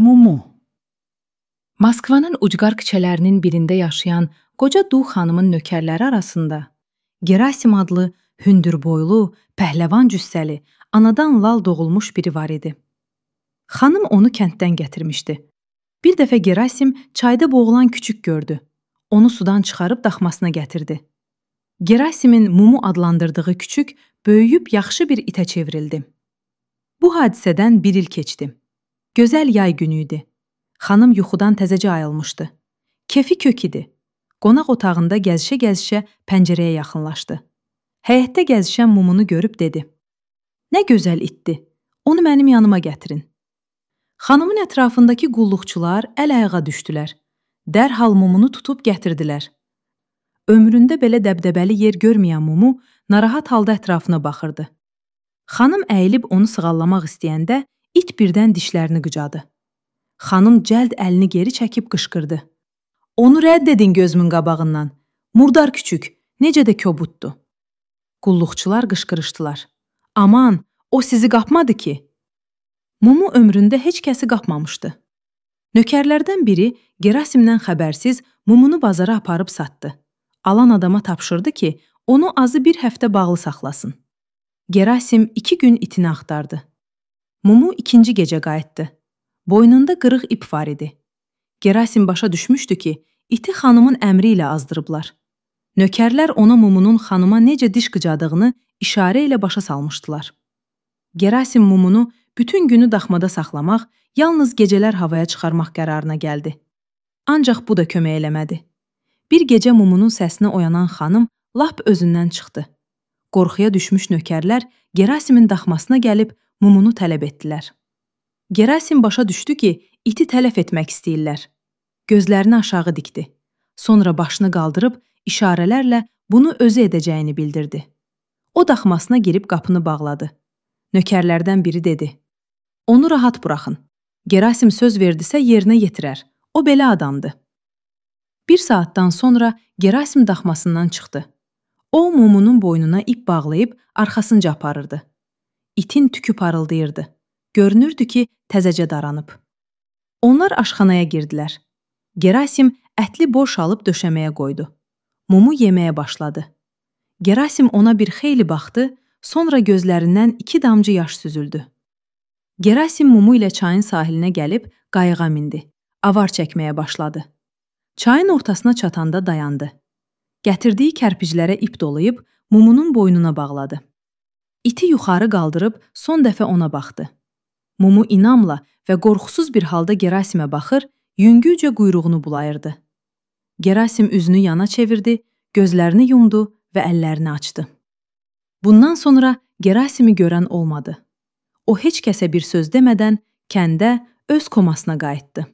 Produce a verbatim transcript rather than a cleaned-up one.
Mumu. Moskvanın ucqar küçələrinin birində yaşayan qoca Du xanımın nökərləri arasında Gerasim adlı hündürboylu, pəhləvan cüssəli, anadan lal doğulmuş biri var idi. Xanım onu kənddən gətirmişdi. Bir dəfə Gerasim çayda boğulan küçük gördü. Onu sudan çıxarıb daxmasına gətirdi. Gerasimin Mumu adlandırdığı küçük böyüyüb yaxşı bir itə çevrildi. Bu hadisədən bir il keçdi. Gözəl yay günü idi. Xanım yuxudan təzəcə ayılmışdı. Kefi kök idi. Qonaq otağında gəzişə-gəzişə pəncərəyə yaxınlaşdı. Həyətdə gəzişən Mumunu görüb dedi: "Nə gözəl itdi. Onu mənim yanıma gətirin." Xanımın ətrafındakı qulluqçular əl-ayağa düşdülər. Dərhal Mumunu tutub gətirdilər. Ömründə belə dəbdəbəli yer görməyən Mumu narahat halda ətrafına baxırdı. Xanım əyilib onu sığallamaq istəyəndə it birdən dişlərini qıcadı. Xanım cəld əlini geri çəkib qışqırdı: "Onu rədd edin gözümün qabağından. Murdar küçük, necə də kobuddur." Qulluqçular qışqırışdılar: "Aman, o sizi qapmadı ki." Mumu ömründə heç kəsi qapmamışdı. Nökərlərdən biri Gerasimdən xəbərsiz Mumunu bazara aparıb satdı. Alan adama tapşırdı ki, onu azı bir həftə bağlı saxlasın. Gerasim iki gün itini axtardı. Mumu ikinci gecə qayıtdı. Boynunda qırıq ip var idi. Gerasim başa düşmüşdü ki, iti xanımın əmri ilə azdırıblar. Nökərlər ona Mumunun xanıma necə diş qıcadığını işarə ilə başa salmışdılar. Gerasim Mumunu bütün günü daxmada saxlamaq, yalnız gecələr havaya çıxarmaq qərarına gəldi. Ancaq bu da kömək eləmədi. Bir gecə Mumunun səsinə oyanan xanım lap özündən çıxdı. Qorxuya düşmüş nökərlər Gerasimin daxmasına gəlib Mumunu tələb etdilər. Gerasim başa düşdü ki, iti tələf etmək istəyirlər. Gözlərini aşağı dikdi. Sonra başını qaldırıb işarələrlə bunu özü edəcəyini bildirdi. O daxmasına girib qapını bağladı. Nökərlərdən biri dedi: "Onu rahat buraxın. Gerasim söz verdisə yerinə yetirər. O belə adamdır." Bir saatdan sonra Gerasim daxmasından çıxdı. O, Mumunun boynuna ip bağlayıb arxasınca aparırdı. İtin tükü parıldayırdı. Görünürdü ki, təzəcə daranıb. Onlar aşxanaya girdilər. Gerasim ətli borş alıb döşəməyə qoydu. Mumu yeməyə başladı. Gerasim ona bir xeyli baxdı, sonra gözlərindən iki damcı yaş süzüldü. Gerasim Mumu ilə çayın sahilinə gəlib qayığa mindi. Avar çəkməyə başladı. Çayın ortasına çatanda dayandı. Gətirdiyi kərpiclərə ip dolayıb Mumunun boynuna bağladı. İti yuxarı qaldırıb son dəfə ona baxdı. Mumu inamla və qorxusuz bir halda Gerasimə baxır, yüngülcə quyruğunu bulayırdı. Gerasim üzünü yana çevirdi, gözlərini yumdu və əllərini açdı. Bundan sonra Gerasimi görən olmadı. O heç kəsə bir söz demədən kəndə öz komasına qayıtdı.